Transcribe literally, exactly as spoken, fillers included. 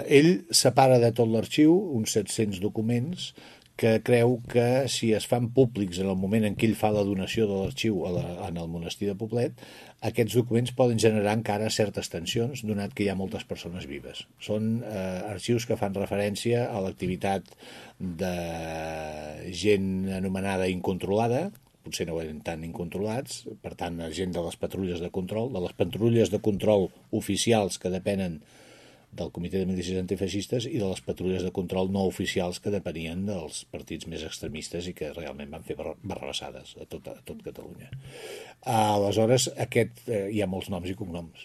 Ell separa de tot l'arxiu uns set-cents documents que creu que si es fan públics en el moment en què ell fa la donació de l'arxiu en el monestir de Poblet, aquests documents poden generar encara certes tensions, donat que hi ha moltes persones vives. Són eh, arxius que fan referència a l'activitat de gent anomenada incontrolada, potser no eren tan incontrolats, per tant, gent de les patrulles de control, de les patrulles de control oficials que depenen del Comitè de Milícies Antifeixistes i de les patrulles de control no oficials que depenien dels partits més extremistes i que realment van fer barrabassades a tot, a tot Catalunya. Aleshores, aquest, eh, hi ha molts noms i cognoms.